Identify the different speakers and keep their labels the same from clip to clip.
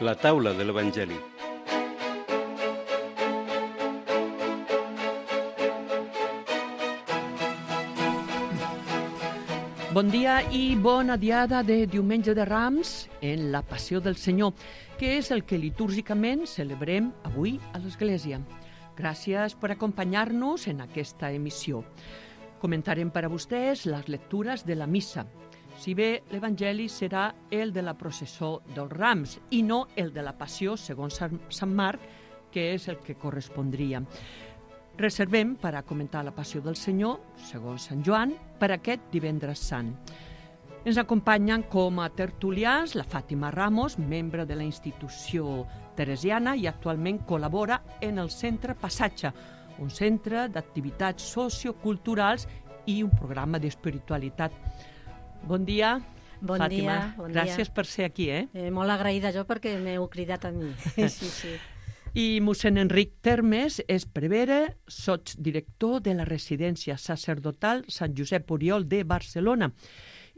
Speaker 1: La taula de l'Evangeli.
Speaker 2: Bon dia i bona diada de Diumenge de Rams en la Passió del Senyor, que és el que litúrgicament celebrem avui a l'Església. Gràcies per acompanyar-nos en aquesta emissió. Comentarem per a vostès les lectures de la missa. Si bé l'Evangeli serà el de la processó dels Rams i no el de la Passió segons Sant Marc, que és el que correspondria. Reservem per a comentar la Passió del Senyor, segons Sant Joan, per aquest divendres sant. Ens acompanyen com a tertulians la Fàtima Ramos, membre de la institució teresiana i actualment col·labora en el Centre Passatge, un centre d'activitats socioculturals i un programa d'espiritualitat. Bon dia,
Speaker 3: bon
Speaker 2: Fàtima.
Speaker 3: Dia, bon
Speaker 2: Gràcies
Speaker 3: dia.
Speaker 2: Per ser aquí.
Speaker 3: Molt agraïda jo perquè m'heu cridat a mi. Sí.
Speaker 2: I mossèn Enric Termes és prevere, sotsdirector de la residència sacerdotal Sant Josep Oriol de Barcelona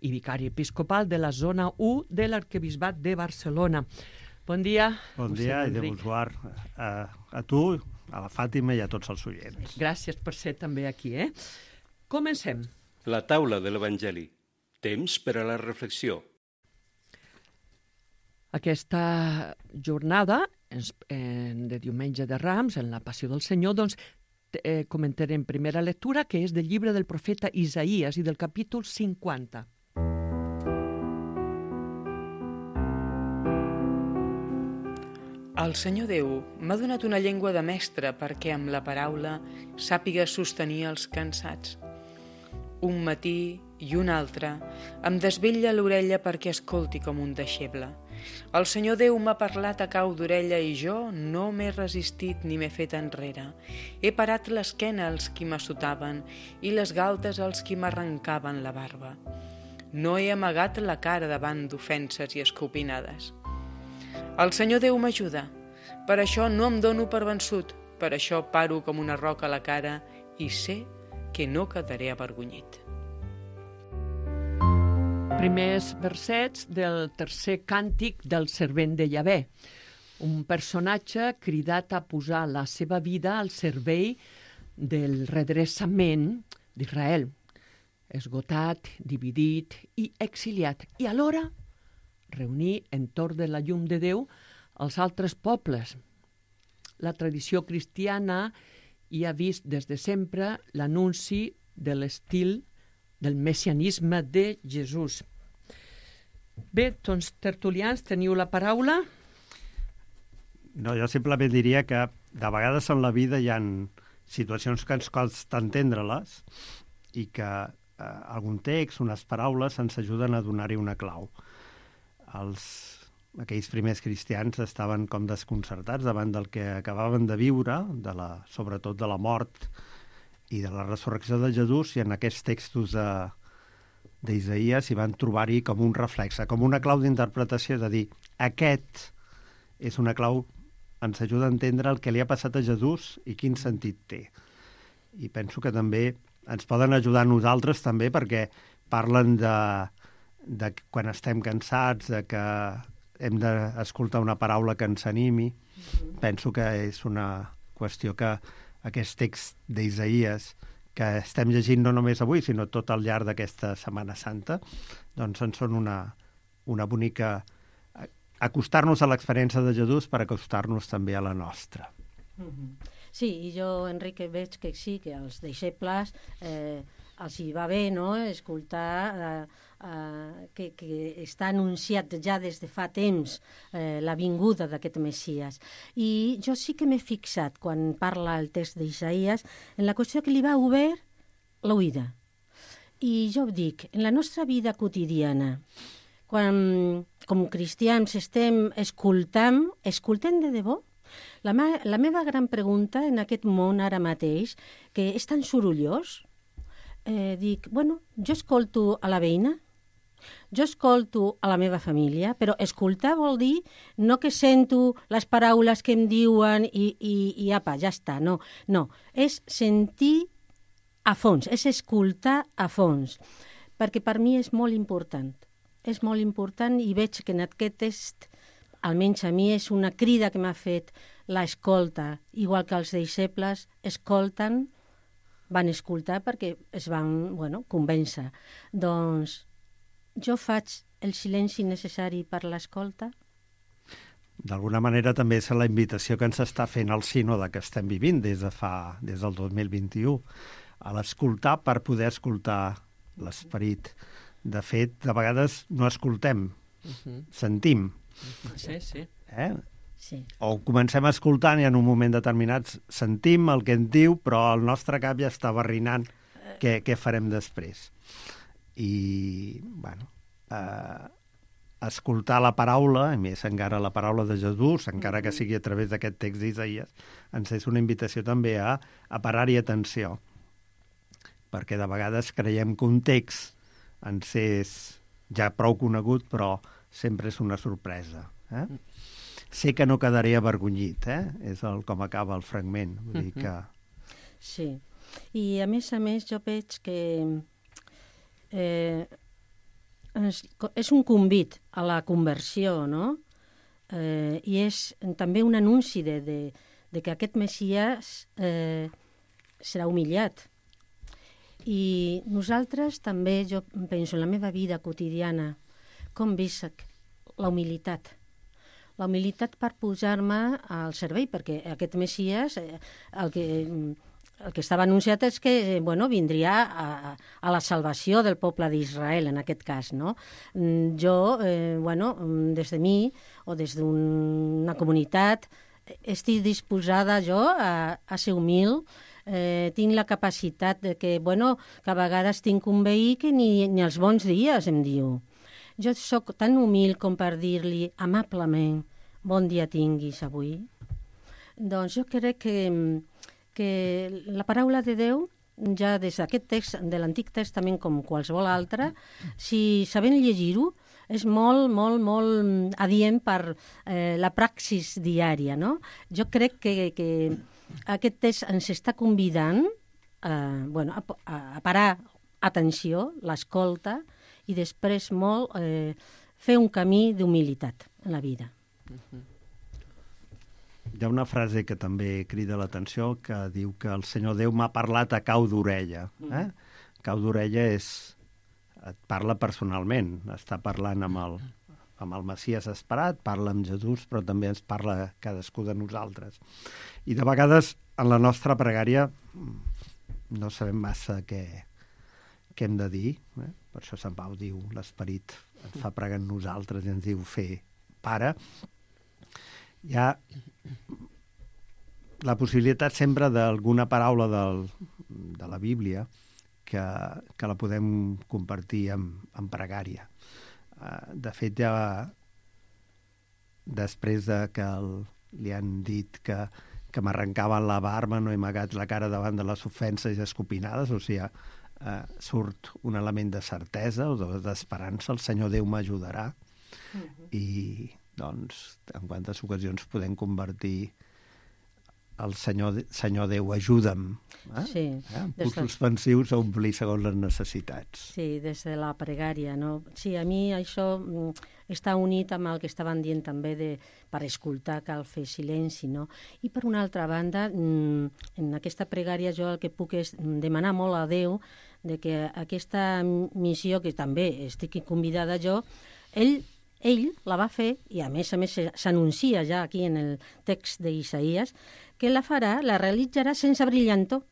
Speaker 2: i vicari episcopal de la zona 1 de l'Arquebisbat de Barcelona. Bon dia,
Speaker 4: Bon dia i de bonsoir a tu, a la Fàtima i a tots els oients.
Speaker 2: Gràcies per ser també aquí. Comencem.
Speaker 1: La taula de l'Evangeli. Temps per a la reflexió.
Speaker 2: Aquesta jornada de Diumenge de Rams, en la Passió del Senyor, doncs comentarem primera lectura, que és del llibre del profeta Isaïes i del capítol 50.
Speaker 5: El Senyor Déu m'ha donat una llengua de mestre perquè amb la paraula sàpiga sostenir els cansats. Un matí i un altre em desvetlla l'orella perquè escolti com un deixeble. El Senyor Déu m'ha parlat a cau d'orella i jo no m'he resistit ni m'he fet enrere. He parat l'esquena als qui m'assotaven i les galtes als qui m'arrencaven la barba. No he amagat la cara davant d'ofenses i escopinades. El Senyor Déu m'ajuda. Per això no em dono per vençut. Per això paro com una roca a la cara i sé que no quedaré avergonyit.
Speaker 2: Primers versets del tercer càntic del servent de Yahvé, un personatge cridat a posar la seva vida al servei del redreçament d'Israel, esgotat, dividit i exiliat, i alhora reunir entorn de la llum de Déu els altres pobles. La tradició cristiana hi ha vist des de sempre l'anunci de l'estil del messianisme de Jesús. Bé, doncs, tertulians, teniu la paraula?
Speaker 4: No, jo simplement diria que de vegades en la vida hi ha situacions que ens costa entendre-les i que algun text, unes paraules, ens ajuden a donar-hi una clau. Aquells primers cristians estaven com desconcertats davant del que acabaven de viure, sobretot de la mort i de la resurrecció de Jesús, i en aquests textos d'Isaïes hi van trobar-hi com un reflex, com una clau d'interpretació, de dir, aquest és una clau, ens ajuda a entendre el que li ha passat a Jesús i quin sentit té. I penso que també ens poden ajudar a nosaltres també perquè parlen de quan estem cansats, de que hem d'escoltar una paraula que ens animi. Penso que és una qüestió que aquest text d'Isaïes que estem llegint no només avui, sinó tot al llarg d'aquesta Setmana Santa, doncs en són una bonica acostar-nos a l'experiència de Jesús per acostar-nos també a la nostra.
Speaker 3: Sí, i jo, Enric, veig que sí, que als deixebles els hi va bé, no?, escoltar que està anunciat ja des de fa temps la vinguda d'aquest Messies. I jo sí que m'he fixat, quan parla el text d'Isaïes, en la qüestió que li va obert l'oïda. I jo dic, en la nostra vida quotidiana, quan com cristians estem escoltem de debò? La meva gran pregunta en aquest món ara mateix, que és tan sorollós, dic, jo escolto a la veïna, jo escolto a la meva família, però escoltar vol dir no que sento les paraules que em diuen i apa, ja està, no, és sentir a fons, és escoltar a fons, perquè per mi és molt important i veig que en aquest text almenys a mi és una crida que m'ha fet l'escolta, igual que els deixebles escolten, van escoltar perquè es van convèncer. Doncs jo faig el silenci necessari per l'escolta.
Speaker 4: D'alguna manera també és la invitació que ens està fent el sínode que estem vivint des del 2021, a l'escoltar per poder escoltar l'esperit. De fet, de vegades no escoltem, sentim.
Speaker 2: Sí, sí.
Speaker 3: Sí.
Speaker 4: O comencem escoltant i en un moment determinat sentim el que ens diu, però el nostre cap ja està barrinant què farem després. I, escoltar la paraula, a més encara la paraula de Jesús, encara que sigui a través d'aquest text d'Isaïes, ens és una invitació també a parar-hi atenció. Perquè de vegades creiem que un text ens és ja prou conegut, però sempre és una sorpresa. Sé que no quedaré avergonyit, és com acaba el fragment. Vull dir que...
Speaker 3: Sí, i a més jo veig que és un convit a la conversió, no? I és també un anunci de que aquest Messies serà humillat. I nosaltres també, jo penso en la meva vida quotidiana, com visc la humilitat. La humilitat per posar-me al servei, perquè aquest Messies, el que estava anunciat és que vindria a la salvació del poble d'Israel, en aquest cas, no? Jo, des de mi o des d'una comunitat, estic disposada jo a ser humil, tinc la capacitat de que a vegades tinc un veí que ni els bons dies em diu. Jo sóc tan humil com per dir-li amablement bon dia tinguis avui. Doncs jo crec que la paraula de Déu, ja des d'aquest text de l'Antic Testament com qualsevol altre, si sabem llegir-ho, és molt, molt, molt adient per la praxis diària, no? Jo crec que aquest text ens està convidant a parar atenció, l'escolta, i després fer un camí d'humilitat en la vida.
Speaker 4: Hi ha una frase que també crida l'atenció que diu que el Senyor Déu m'ha parlat a cau d'orella. Cau d'orella et parla personalment, està parlant amb el Messies esperat, parla amb Jesús, però també ens parla cadascú de nosaltres. I de vegades en la nostra pregària no sabem massa què hem de dir. Per això Sant Pau diu, l'esperit ens fa pregar en nosaltres i ens diu fer pare. Hi ha la possibilitat sempre d'alguna paraula de la Bíblia que la podem compartir en pregària. De fet, ja després que li han dit que m'arrencaven la barba, no he amagat la cara davant de les ofenses i escopinades, o sigui, surt un element de certesa o d'esperança, el Senyor Déu m'ajudarà. I, doncs, en quantes ocasions podem convertir el Senyor Déu, ajuda'm.
Speaker 3: Sí.
Speaker 4: Punts suspensius a omplir segons les necessitats.
Speaker 3: Sí, des de la pregària, no? Sí, a mi això està unit amb el que estaven dient també per escoltar cal fer silenci, no? I per una altra banda, en aquesta pregària jo el que puc és demanar molt a Déu de que aquesta missió, que també estic convidada jo, ell la va fer, i a més s'anuncia ja aquí en el text d'Isaïes, que la realitzarà sense brillantor,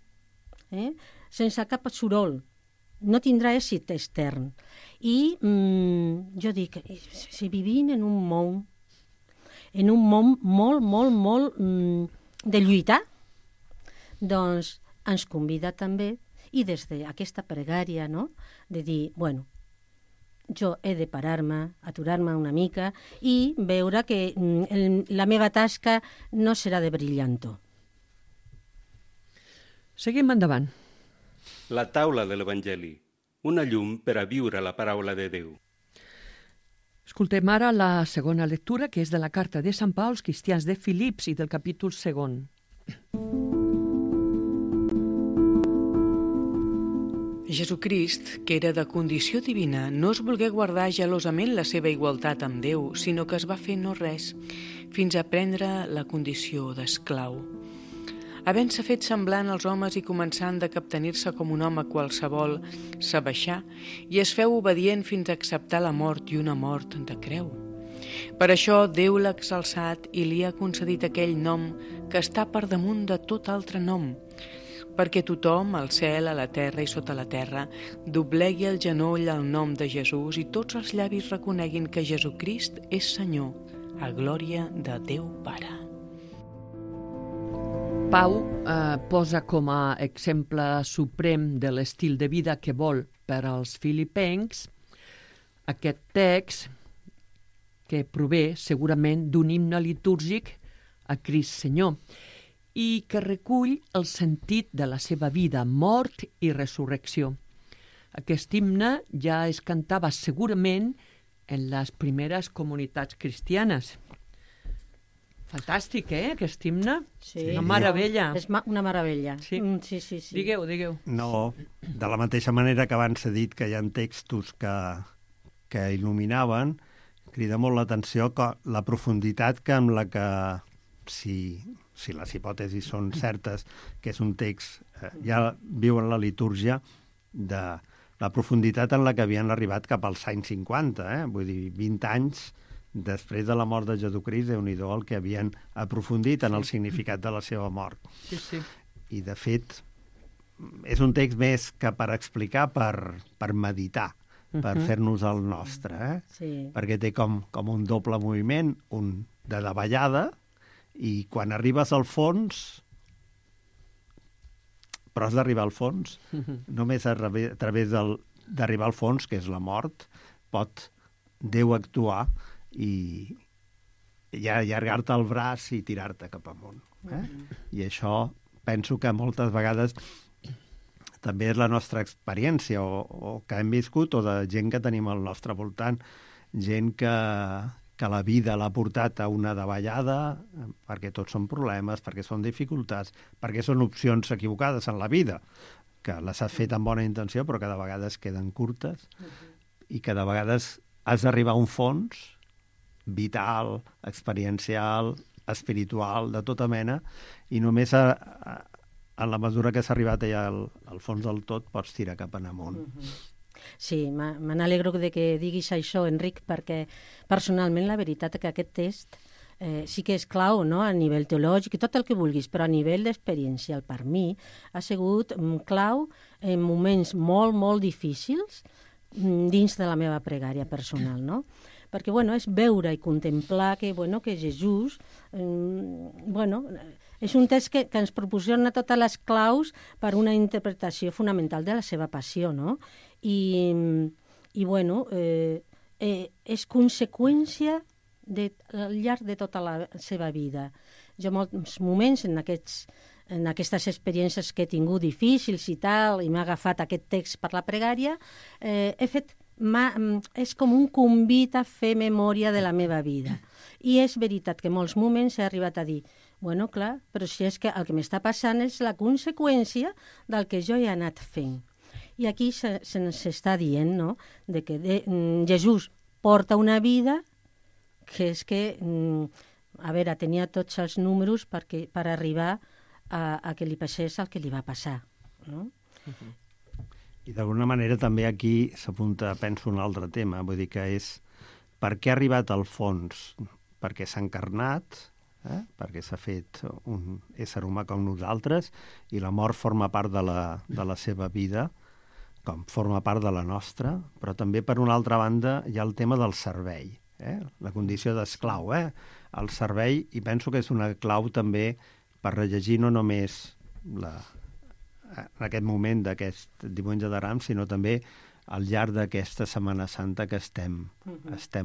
Speaker 3: sense cap soroll, no tindrà èxit extern. I jo dic, si vivim en un món molt, molt, molt de lluitar, doncs ens convida també, i des d'aquesta pregària, no?, de dir, jo he de parar-me, aturar-me una mica i veure que la meva tasca no serà de brillantor.
Speaker 2: Seguim endavant.
Speaker 1: La taula de l'Evangeli, una llum per a viure la paraula de Déu.
Speaker 2: Escoltem ara la segona lectura, que és de la carta de Sant Pau als cristians de Filips i del capítol 2.
Speaker 5: Jesucrist, que era de condició divina, no es volgué guardar gelosament la seva igualtat amb Déu, sinó que es va fer no res, fins a prendre la condició d'esclau. Havent-se fet semblant als homes i començant de captenir-se com un home qualsevol, s'abaixà i es feu obedient fins a acceptar la mort i una mort de creu. Per això Déu l'ha exalçat i li ha concedit aquell nom que està per damunt de tot altre nom, perquè tothom, al cel, a la terra i sota la terra, doblegui el genoll al nom de Jesús i tots els llavis reconeguin que Jesucrist és Senyor, a glòria de Déu Pare.
Speaker 2: Pau posa com a exemple suprem de l'estil de vida que vol per als filipencs aquest text que prové segurament d'un himne litúrgic a Crist Senyor i que recull el sentit de la seva vida, mort i resurrecció. Aquest himne ja es cantava segurament en les primeres comunitats cristianes. Fantàstic, aquest himne?
Speaker 3: Sí.
Speaker 2: Una meravella.
Speaker 3: És una meravella.
Speaker 2: Sí.
Speaker 3: Sí.
Speaker 2: Digueu.
Speaker 4: No, de la mateixa manera que abans s'ha dit que hi ha textos que il·luminaven, crida molt l'atenció la profunditat que amb la que, si les hipòtesis són certes, que és un text, ja viu en la litúrgia, de la profunditat en la que havien arribat cap als anys 50, vull dir, 20 anys després de la mort de Jesucrist, Déu-n'hi-do el que havien aprofundit en el significat de la seva mort.
Speaker 2: Sí.
Speaker 4: I, de fet, és un text més que per explicar, per meditar, per fer-nos el nostre,
Speaker 3: Sí.
Speaker 4: perquè té com un doble moviment, un de davallada, i quan arribes al fons, però has d'arribar al fons, només a través d'arribar al fons, que és la mort, pot Déu actuar i allargar-te el braç i tirar-te cap amunt. I això penso que moltes vegades també és la nostra experiència o que hem viscut o de gent que tenim al nostre voltant, gent que la vida l'ha portat a una davallada perquè tots són problemes, perquè són dificultats, perquè són opcions equivocades en la vida, que les has fet amb bona intenció però que de vegades queden curtes i que de vegades has d'arribar a un fons vital, experiencial, espiritual, de tota mena, i només en la mesura que s'ha arribat allà al fons del tot pots tirar cap en amunt.
Speaker 3: Sí, me n'alegro de que diguis això, Enric, perquè personalment la veritat és que aquest text sí que és clau, no?, a nivell teològic i tot el que vulguis, però a nivell experiencial per mi ha sigut clau en moments molt, molt difícils dins de la meva pregària personal, no? Perquè, és veure i contemplar que Jesús, és un text que ens proporciona totes les claus per una interpretació fonamental de la seva passió, no? I és conseqüència al llarg de tota la seva vida. Jo molts moments en aquestes experiències que he tingut difícils i tal, i m'ha agafat aquest text per la pregària, he fet és com un convit a fer memòria de la meva vida. I és veritat que en molts moments he arribat a dir clar, però si és que el que m'està passant és la conseqüència del que jo he anat fent. I aquí se'ns està dient, no?, de que Jesús porta una vida que és que, tenia tots els números per arribar a que li passés el que li va passar, no?
Speaker 4: I d'alguna manera també aquí s'apunta, penso, un altre tema, vull dir que és per què ha arribat al fons? Perquè s'ha encarnat, perquè s'ha fet un ésser humà com nosaltres, i la mort forma part de la seva vida, com forma part de la nostra, però també, per una altra banda, hi ha el tema del servei, la condició d'esclau, el servei, i penso que és una clau també per rellegir no només en aquest moment d'aquest diumenge de Rams, sinó també al llarg d'aquesta Setmana Santa que estem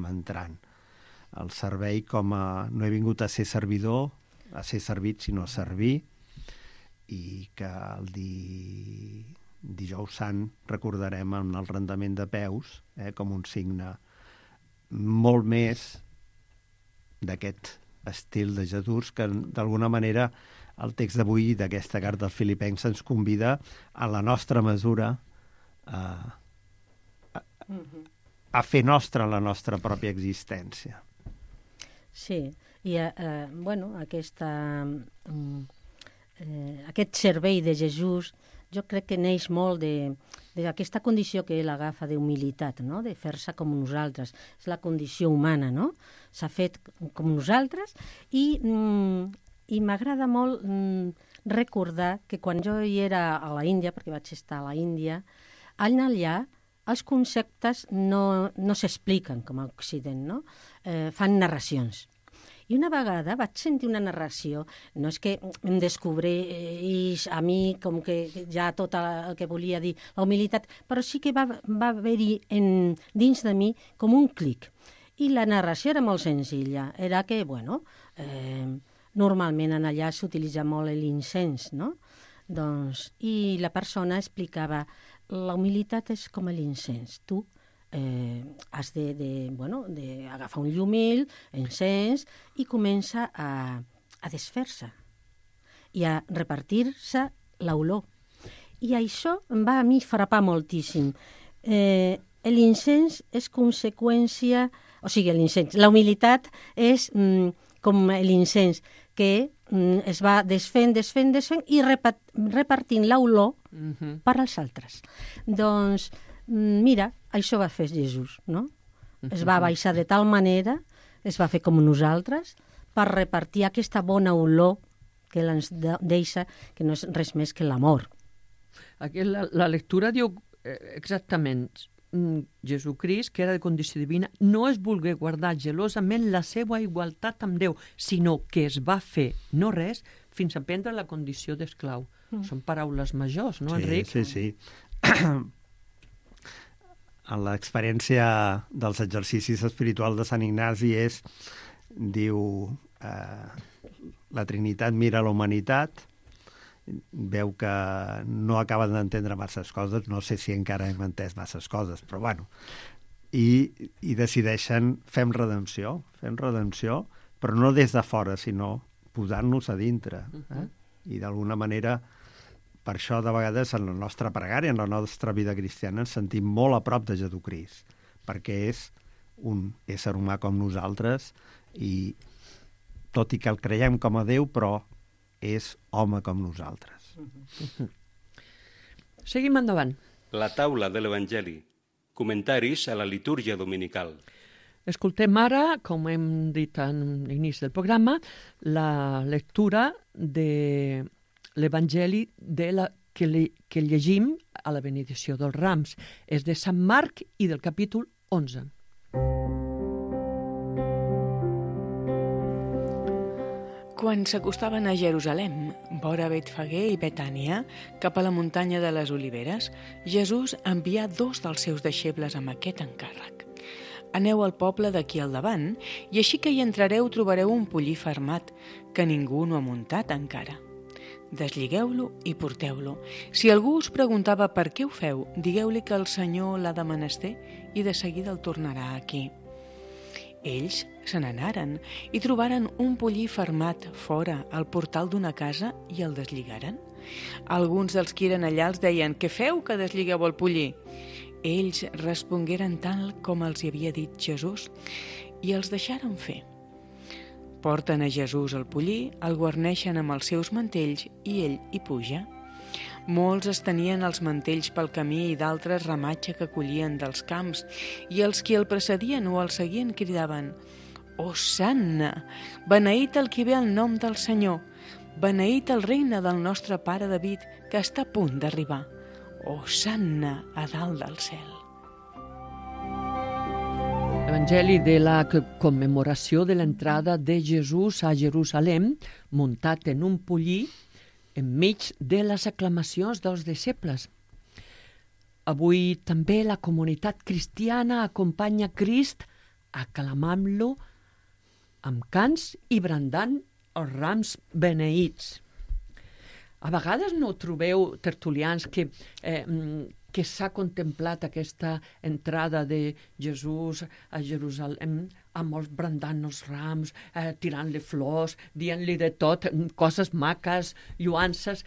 Speaker 4: entrant. El servei com a... No he vingut a ser servidor, a ser servit, sinó a servir, i que el dijous sant recordarem en el rendament de peus com un signe molt més d'aquest estil de Jesús que d'alguna manera el text d'avui d'aquesta carta als Filipencs ens convida a la nostra mesura a fer nostra la nostra pròpia existència.
Speaker 3: Sí, i aquest servei de Jesús jo crec que neix molt d'aquesta condició que ell agafa d'humilitat, no? De fer-se com nosaltres. És la condició humana, no? S'ha fet com nosaltres i m'agrada molt recordar que quan jo hi era a la Índia, perquè vaig estar a la Índia, allà els conceptes no s'expliquen com a Occident, no? Fan narracions. I una vegada vaig sentir una narració, no és que em descobreix a mi com que ja tot el que volia dir la humilitat, però sí que va haver-hi dins de mi com un clic. I la narració era molt senzilla, era que, normalment allà s'utilitza molt l'incens, no? Doncs, i la persona explicava, la humilitat és com l'incens, tu has d'agafar un llumil, encens, i comença a desfer-se i a repartir-se l'olor. I això em va a mi frapar moltíssim. L'incens és conseqüència... O sigui, la humilitat és com l'incens, que es va desfent i repartint l'olor per als altres. Doncs, mira, això va fer Jesús, no? Es va baixar de tal manera, es va fer com nosaltres, per repartir aquesta bona olor que ell ens deixa, que no és res més que l'amor.
Speaker 2: Aquí la lectura diu exactament Jesucrist, que era de condició divina, no es volgué guardar gelosament la seva igualtat amb Déu, sinó que es va fer no res fins a prendre la condició d'esclau. Són paraules majors, no, Enric?
Speaker 4: Sí. En l'experiència dels exercicis espirituals de Sant Ignasi diu, la Trinitat mira la humanitat, veu que no acaben d'entendre masses coses, no sé si encara hem entès masses coses, però bueno, i decideixen fem redempció, però no des de fora, sinó posant-nos a dintre. I d'alguna manera, per això de vegades en la nostra pregària, en la nostra vida cristiana, ens sentim molt a prop de Jesucrist, perquè és un ésser humà com nosaltres i tot i que el creiem com a Déu, però és home com nosaltres.
Speaker 2: Seguim endavant.
Speaker 1: La taula de l'Evangeli. Comentaris a la litúrgia dominical.
Speaker 2: Escoltem ara, com hem dit en l'inici del programa, la lectura de l'Evangeli que llegim a la benedicció dels Rams. És de Sant Marc i del capítol 11.
Speaker 5: Quan s'acostaven a Jerusalem, vora Betfagé i Betània, cap a la muntanya de les Oliveres, Jesús envià 2 dels seus deixebles amb aquest encàrrec. Aneu al poble d'aquí al davant, i així que hi entrareu trobareu un pollí fermat, que ningú no ha muntat encara. Desligueu-lo i porteu-lo. Si algú us preguntava per què ho feu, digueu-li que el Senyor l'ha de menester i de seguida el tornarà aquí. Ells se n'anaren i trobaren un pollí fermat fora al portal d'una casa i el deslligaren. Alguns dels qui eren allà els deien «Què feu que desligueu el pollí?» Ells respongueren tal com els hi havia dit Jesús i els deixaren fer. Porten a Jesús el pollí, el guarneixen amb els seus mantells i ell hi puja. Molts estenien els mantells pel camí i d'altres ramatge que collien dels camps, i els qui el precedien o el seguien cridaven «Hosanna! Beneït el qui ve al nom del Senyor! Beneït el regne del nostre pare David, que està a punt d'arribar! Hosanna a dalt del cel!»
Speaker 2: Evangeli de la commemoració de l'entrada de Jesús a Jerusalem, muntat en un pollí, enmig de les aclamacions dels deixebles. Avui també la comunitat cristiana acompanya Crist aclamant-lo amb cants i brandant els rams beneïts. A vegades no trobeu, tertulians, que s'ha contemplat aquesta entrada de Jesús a Jerusalem amb els brandant els rams, tirant-li flors, dient-li de tot, coses maques, lluances,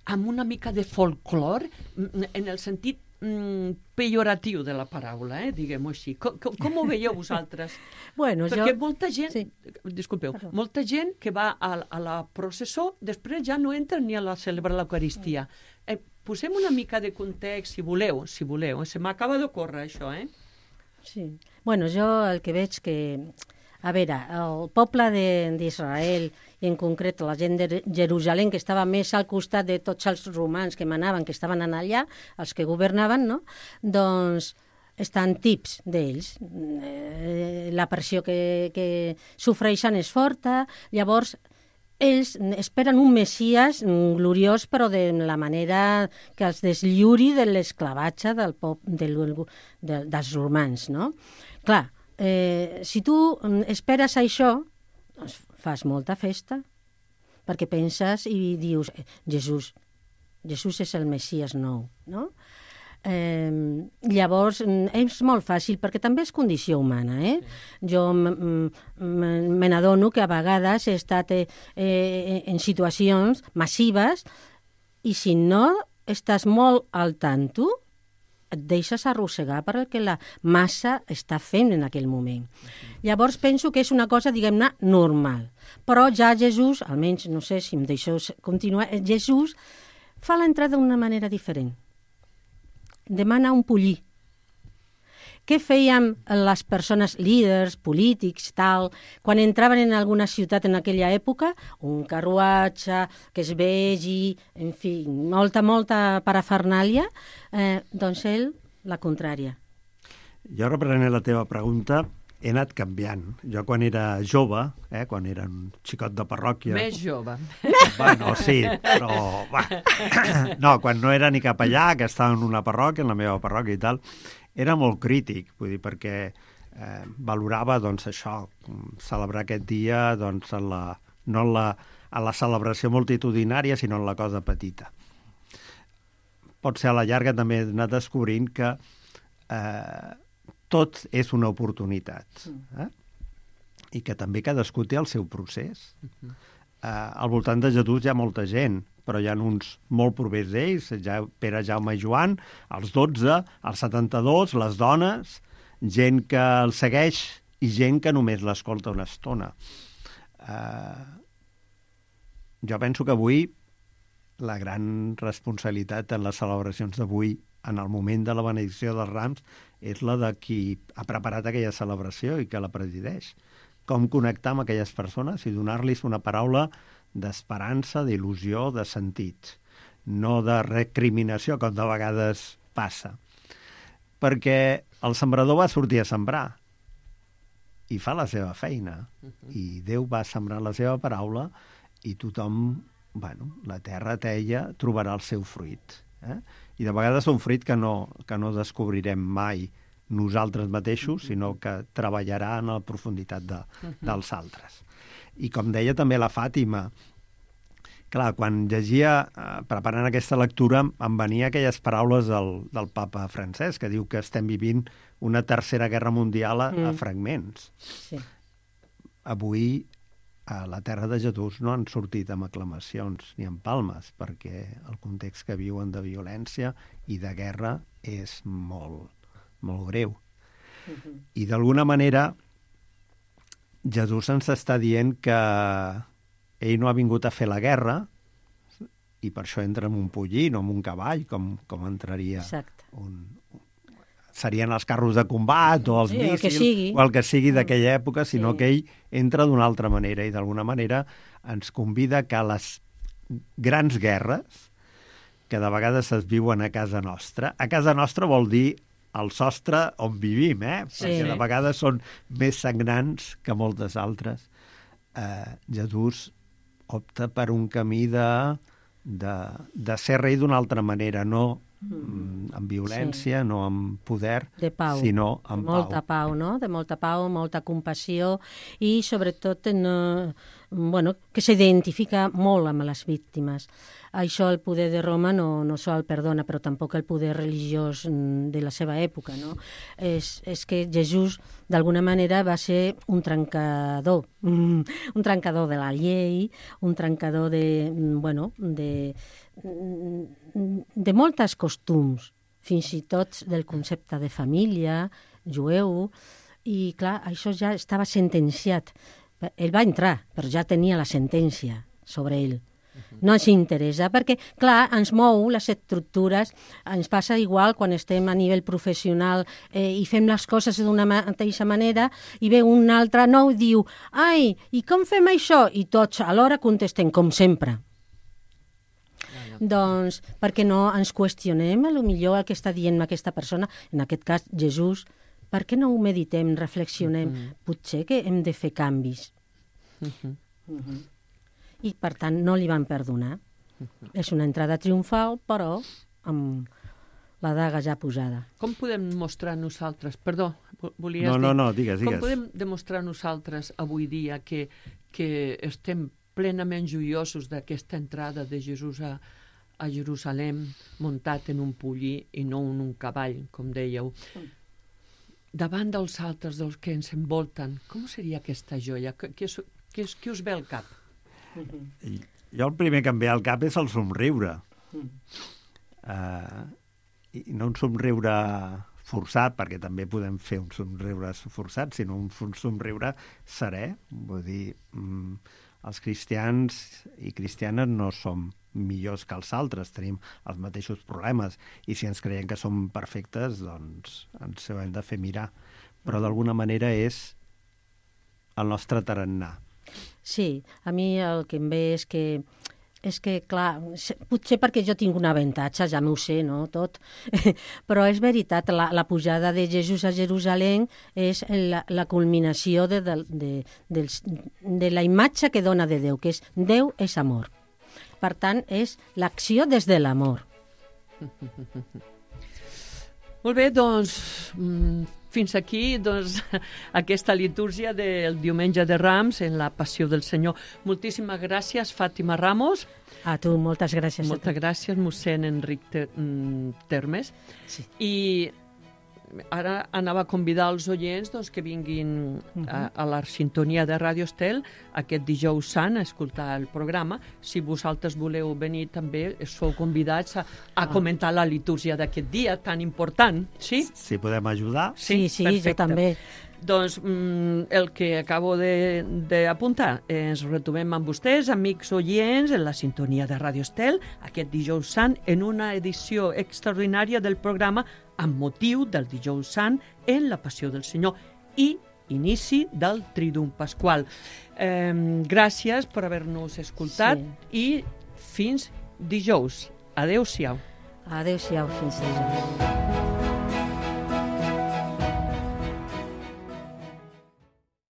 Speaker 2: amb una mica de folclor, en el sentit pejoratiu de la paraula, diguem-ho així. Com ho veieu vosaltres?
Speaker 3: Bueno,
Speaker 2: Perquè molta gent,
Speaker 3: Sí.
Speaker 2: disculpeu,
Speaker 3: Perdó.
Speaker 2: molta gent que va a la processó, després ja no entra ni a la celebrar l'Eucaristia. Posem una mica de context, si voleu. Se m'acaba d'ocórrer això,
Speaker 3: Sí. Bueno, jo el que veig que... A veure, el poble d'Israel, i en concret la gent de Jerusalem, que estava més al costat de tots els romans que manaven, que estaven allà, els que governaven, no? Doncs estan tips d'ells. La pressió que sofreixen és forta, llavors ells esperen un Messies gloriós, però de la manera que els deslliuri de l'esclavatge dels romans, no? Clar, si tu esperes això, doncs fas molta festa, perquè penses i dius, Jesús és el Messies nou, no? Llavors, és molt fàcil, perquè també és condició humana, Jo me n'adono que a vegades he estat en situacions massives i si no estàs molt al tanto, et deixes arrossegar per el que la massa està fent en aquell moment. Llavors penso que és una cosa, diguem-ne, normal. Però ja Jesús, almenys, no sé si em deixeu continuar, Jesús fa l'entrada d'una manera diferent. Demana un pollí. Què fèiem les persones líders, polítics, tal, quan entraven en alguna ciutat en aquella època? Un carruatge, que es vegi, en fi, molta parafernàlia. Doncs ell, la contrària.
Speaker 4: Jo, reprenent la teva pregunta, he anat canviant. Jo quan era jove, quan era un xicot de parròquia...
Speaker 2: Més jove.
Speaker 4: Bueno, sí, però... No, quan no era ni capellà, que estava en una parròquia, en la meva parròquia i tal, era molt crític, vull dir, perquè valorava, doncs, això, celebrar aquest dia, doncs, no a la celebració multitudinària, sinó en la cosa petita. Pot ser a la llarga també he anat descobrint que tot és una oportunitat. I que també cadascú té el seu procés. Al voltant de Jesús hi ha molta gent, però hi ha uns molt propers d'ells, Pere, Jaume i Joan, els 12, els 72, les dones, gent que el segueix i gent que només l'escolta una estona. Jo penso que avui la gran responsabilitat en les celebracions d'avui, en el moment de la benedicció dels Rams, és la de qui ha preparat aquella celebració i que la presideix. Com connectar amb aquelles persones i donar-los una paraula d'esperança, d'il·lusió, de sentit, no de recriminació, com de vegades passa. Perquè el sembrador va sortir a sembrar i fa la seva feina, i Déu va sembrar la seva paraula i tothom, la terra teia, trobarà el seu fruit. I de vegades un fruit que no descobrirem mai nosaltres mateixos, sinó que treballarà en la profunditat dels altres. I com deia també la Fàtima, clar, quan llegia, preparant aquesta lectura, em venia aquelles paraules del papa Francesc, que diu que estem vivint una tercera guerra mundial a fragments.
Speaker 3: Sí.
Speaker 4: Avui, a la terra de Jesús no han sortit amb aclamacions ni amb palmes, perquè el context que viuen de violència i de guerra és molt, molt greu. I d'alguna manera Jesús ens està dient que ell no ha vingut a fer la guerra i per això entra en un pollí, no en un cavall, com entraria serien els carros de combat o els míssils o el que sigui d'aquella època, sinó que ell entra d'una altra manera i d'alguna manera ens convida que les grans guerres que de vegades es viuen a casa nostra vol dir el sostre on vivim, perquè de vegades són més sagnants que moltes altres. Jesús opta per un camí de ser rei d'una altra manera, no amb violència, no amb poder, sinó amb pau.
Speaker 3: Molta pau, no? De molta pau, molta compassió i, sobretot, que s'identifica molt amb les víctimes. Això el poder de Roma no sol perdona, però tampoc el poder religiós de la seva època, no? És que Jesús, d'alguna manera, va ser un trencador de la llei, un trencador de moltes costums fins i tot del concepte de família, jueu, i clar, això ja estava sentenciat. Ell va entrar, però ja tenia la sentència sobre ell. No ens interessa, perquè, clar, ens mou les estructures, ens passa igual quan estem a nivell professional i fem les coses d'una mateixa manera i ve un altre nou i diu ai, i com fem això? I tots alhora contestem, com sempre. Doncs perquè no ens qüestionem a lo millor el que està dient aquesta persona, en aquest cas Jesús, per què no ho meditem, reflexionem? Potser que hem de fer canvis. I, per tant, no li van perdonar. És una entrada triomfal, però amb la daga ja posada.
Speaker 2: Com podem mostrar nosaltres... Perdó, volies dir...
Speaker 4: No, digues.
Speaker 2: Com podem demostrar nosaltres avui dia que estem plenament joiosos d'aquesta entrada de Jesús a Jerusalem muntat en un pollí i no en un cavall, com dèieu? Davant dels altres, dels que ens envolten, com seria aquesta joia? Què us ve al cap?
Speaker 4: Jo el primer que em ve al cap és el somriure. I no un somriure forçat, perquè també podem fer un somriure forçat, sinó un somriure serè. Vull dir, els cristians i cristianes no som millors que els altres, tenim els mateixos problemes, i si ens creiem que som perfectes, doncs ens ho hem de fer mirar. Però d'alguna manera és el nostre tarannà.
Speaker 3: Sí, a mi el que em ve és que, clar, potser perquè jo tinc un avantatge, ja m'ho sé, no?, tot, però és veritat, la pujada de Jesús a Jerusalem és la culminació de la imatge que dona de Déu, que és Déu és amor. Per tant, és l'acció des de l'amor.
Speaker 2: Molt bé, doncs, fins aquí aquesta litúrgia del diumenge de Rams en la Passió del Senyor. Moltíssimes gràcies, Fàtima Ramos.
Speaker 3: A tu, moltes gràcies.
Speaker 2: Moltes gràcies, mossèn Enric Termes.
Speaker 3: Sí.
Speaker 2: I ara anava a convidar els oients que vinguin a la sintonia de Ràdio Estel aquest dijous sant a escoltar el programa. Si vosaltres voleu venir també, sou convidats a comentar la litúrgia d'aquest dia tan important. Sí?
Speaker 4: Si podem ajudar.
Speaker 3: Sí,
Speaker 2: perfecte.
Speaker 3: Jo també.
Speaker 2: Doncs el que acabo d'apuntar, ens retrobem amb vostès, amics oients, en la sintonia de Ràdio Estel, aquest dijous sant, en una edició extraordinària del programa amb motiu del dijous sant en la Passió del Senyor i inici del Triduum Pasqual. Gràcies per haver-nos escoltat i fins dijous. Adéu-siau.
Speaker 3: Adéu-siau, fins dijous.